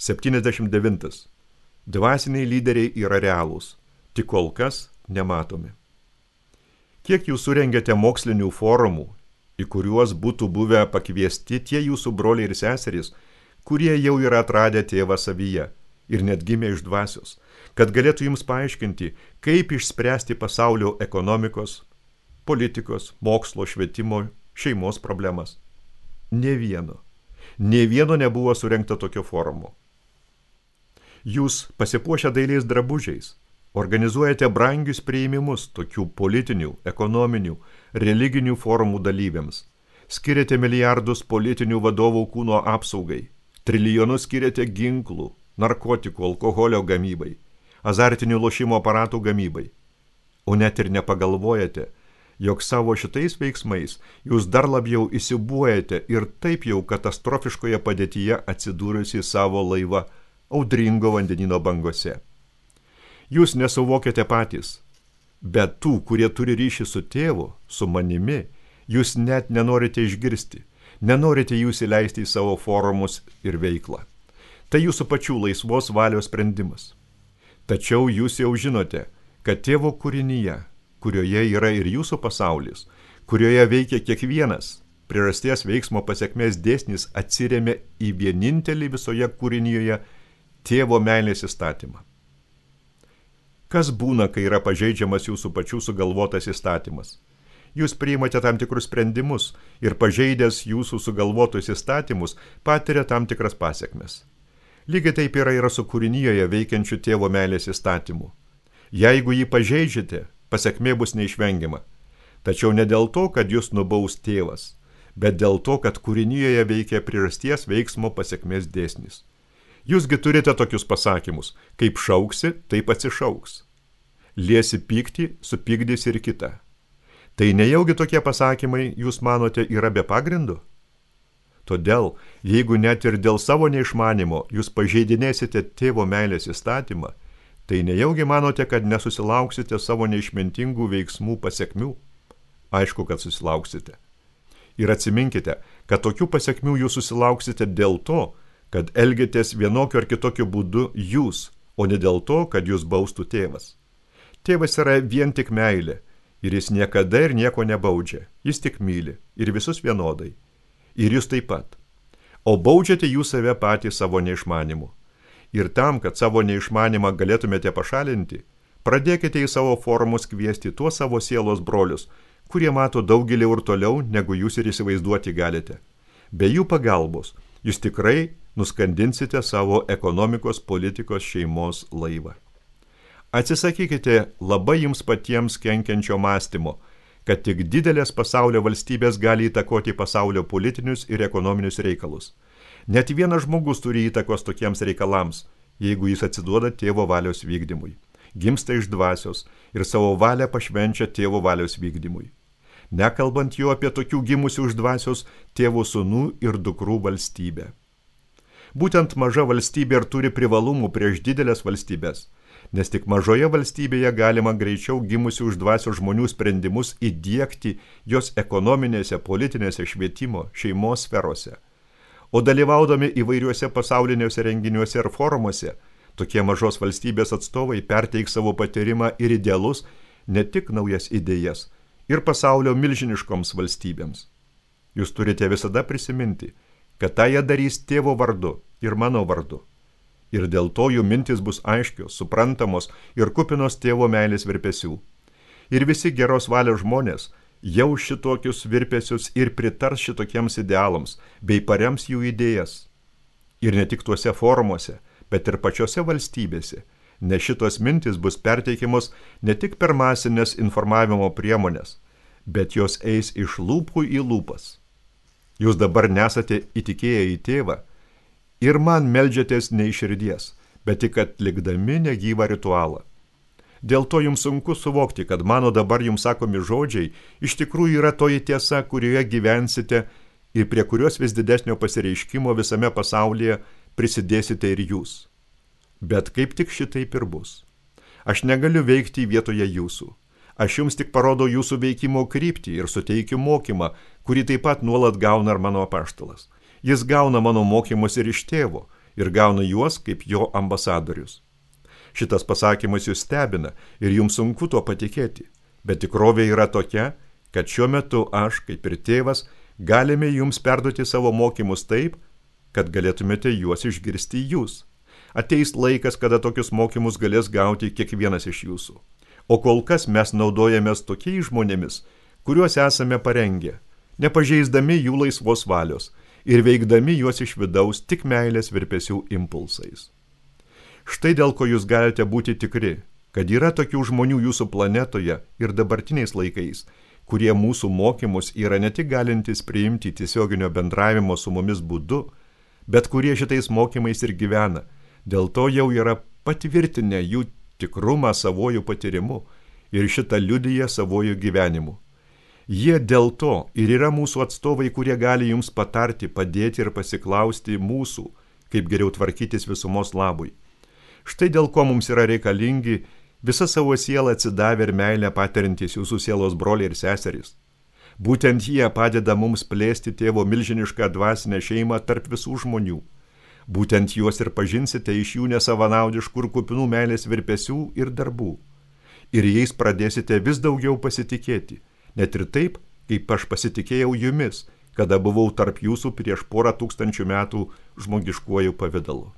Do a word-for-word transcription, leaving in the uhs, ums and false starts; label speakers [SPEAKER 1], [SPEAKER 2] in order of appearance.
[SPEAKER 1] septyniasdešimt devintas. Dvasiniai lyderiai yra realūs, tik kol kas nematomi. Kiek jūs surengėte mokslinių forumų, į kuriuos būtų buvę pakviesti tie jūsų broliai ir seserys, kurie jau yra atradę tėvą savyje ir net gimė iš dvasios, kad galėtų jums paaiškinti, kaip išspręsti pasaulio ekonomikos, politikos, mokslo, švietimo, šeimos problemas. Nė vieno. Nė vieno nebuvo surengta tokio forumo. Jūs pasipuošę dailiais drabužiais, organizuojate brangius priėmimus tokių politinių, ekonominių, religinių forumų dalyviams. Skiriate milijardus politinių vadovų kūno apsaugai, trilijonus skiriate ginklų, narkotikų, alkoholio gamybai, azartinių lošimo aparatų gamybai. O net ir nepagalvojate, jog savo šitais veiksmais jūs dar labiau įsibuojate ir taip jau katastrofiškoje padėtyje atsidūrusi savo laivą audringo vandenino bangose. Jūs nesuvokiate patys, bet tų, kurie turi ryšį su tėvu, su manimi, jūs net nenorite išgirsti, nenorite jūs įleisti į savo forumus ir veiklą. Tai jūsų pačių laisvos valios sprendimas. Tačiau jūs jau žinote, kad tėvo kūrinyje, kurioje yra ir jūsų pasaulis, kurioje veikia kiekvienas, priežasties veiksmo pasekmės dėsnis atsiremia į vienintelį visoje kūrinyje tėvo meilės įstatymą. Kas būna, kai yra pažeidžiamas jūsų pačių sugalvotas įstatymas? Jūs priimate tam tikrus sprendimus ir pažeidęs jūsų sugalvotus įstatymus patiria tam tikras pasekmes. Lygiai taip yra yra su kūrinyje veikiančių tėvo meilės įstatymu. Jeigu jį pažeidžiate, pasekmė bus neišvengiama. Tačiau ne dėl to, kad jūs nubaus tėvas, bet dėl to, kad kūrinyje veikia priežasties veiksmo pasekmės dėsnis. Jūsgi turite tokius pasakymus, kaip šauksi, taip atsišauks. Liesi pyktį, supykdys ir kitą. Tai nejaugi tokie pasakymai, jūs manote, yra be pagrindų? Todėl, jeigu net ir dėl savo neišmanimo jūs pažeidinėsite tėvo meilės įstatymą, tai nejaugi manote, kad nesusilauksite savo neišmintingų veiksmų pasekmių? Aišku, kad susilauksite. Ir atsiminkite, kad tokių pasekmių jūs susilauksite dėl to, kad elgiatės vienokiu ar kitokiu būdu jūs, o ne dėl to, kad jūs baustų tėvas. Tėvas yra vien tik meilė, ir jis niekada ir nieko nebaudžia, jis tik myli, ir visus vienodai, ir jūs taip pat. O baudžiate jūs save patys savo neišmanimu. Ir tam, kad savo neišmanimą galėtumėte pašalinti, pradėkite į savo forumus kviesti tuos savo sielos brolius, kurie mato daug giliau ir toliau, negu jūs ir įsivaizduoti galite. Be jų pagalbos jūs tikrai nuskandinsite savo ekonomikos, politikos, šeimos laivą. Atsisakykite labai jums patiems kenkiančio mąstymo, kad tik didelės pasaulio valstybės gali įtakoti pasaulio politinius ir ekonominius reikalus. Net vienas žmogus turi įtakos tokiems reikalams, jeigu jis atsiduoda tėvo valios vykdymui, gimsta iš dvasios ir savo valią pašvenčia tėvo valios vykdymui. Nekalbant jau apie tokių gimusių iš dvasios tėvų sūnų ir dukrų valstybę. Būtent maža valstybė ir turi privalumų prieš didelės valstybės, nes tik mažoje valstybėje galima greičiau gimusių iš dvasios žmonių sprendimus įdiegti jos ekonominėse, politinėse, švietimo, šeimos sferose. O dalyvaudami įvairiuose pasauliniuose renginiuose ir forumuose, tokie mažos valstybės atstovai perteiks savo patyrimą ir idealus, ne tik naujas idėjas, ir pasaulio milžiniškoms valstybėms. Jūs turite visada prisiminti, kad tą jie darys tėvo vardu ir mano vardu. Ir dėl to jų mintis bus aiškios, suprantamos ir kupinos tėvo meilės virpesių. Ir visi geros valios žmonės jau šitokius virpesius ir pritars šitokiems idealams, bei parems jų idėjas. Ir ne tik tuose forumuose, bet ir pačiose valstybėse, nes šitos mintis bus perteikiamos ne tik per masinės informavimo priemonės, bet jos eis iš lūpų į lūpas. Jūs dabar nesate įtikėję į tėvą ir man meldžiatės ne iš širdies, bet tik atlikdami negyvą ritualą. Dėl to jums sunku suvokti, kad mano dabar jums sakomi žodžiai iš tikrųjų yra toji tiesa, kurioje gyvensite ir prie kurios vis didesnio pasireiškimo visame pasaulyje prisidėsite ir jūs. Bet kaip tik šitaip ir bus. Aš negaliu veikti vietoje jūsų. Aš jums tik parodau jūsų veikimo kryptį ir suteikiu mokymą, kurį taip pat nuolat gauna ir mano apaštalas. Jis gauna mano mokymus ir iš tėvo, ir gauna juos kaip jo ambasadorius. Šitas pasakymas jūs stebina ir jums sunku tuo patikėti, bet tikrovė yra tokia, kad šiuo metu aš, kaip ir tėvas, galime jums perduoti savo mokymus taip, kad galėtumėte juos išgirsti jūs. Ateis laikas, kada tokius mokymus galės gauti kiekvienas iš jūsų. O kol kas mes naudojamės tokiais žmonėmis, kuriuos esame parengę, nepažeisdami jų laisvos valios ir veikdami juos iš vidaus tik meilės virpesių impulsais. Štai dėl ko jūs galite būti tikri, kad yra tokių žmonių jūsų planetoje ir dabartiniais laikais, kurie mūsų mokymus yra ne tik galintys priimti tiesioginio bendravimo su mumis būdu, bet kurie šitais mokymais ir gyvena, dėl to jau yra patvirtinę jų tikrumą savojų patyrimu ir šitą liudiją savojų gyvenimu. Jie dėl to ir yra mūsų atstovai, kurie gali jums patarti, padėti ir pasiklausti mūsų, kaip geriau tvarkytis visumos labui. Štai dėl ko mums yra reikalingi visą savo sielą atsidavę ir meilę patiriantys jūsų sielos broliai ir seserys. Būtent jie padeda mums plėsti tėvo milžinišką dvasinę šeimą tarp visų žmonių. Būtent juos ir pažinsite iš jų nesavanaudiškų ir kupinų meilės virpesių ir darbų. Ir jais pradėsite vis daugiau pasitikėti, net ir taip, kaip aš pasitikėjau jumis, kada buvau tarp jūsų prieš porą tūkstančių metų žmogiškuoju pavidalu.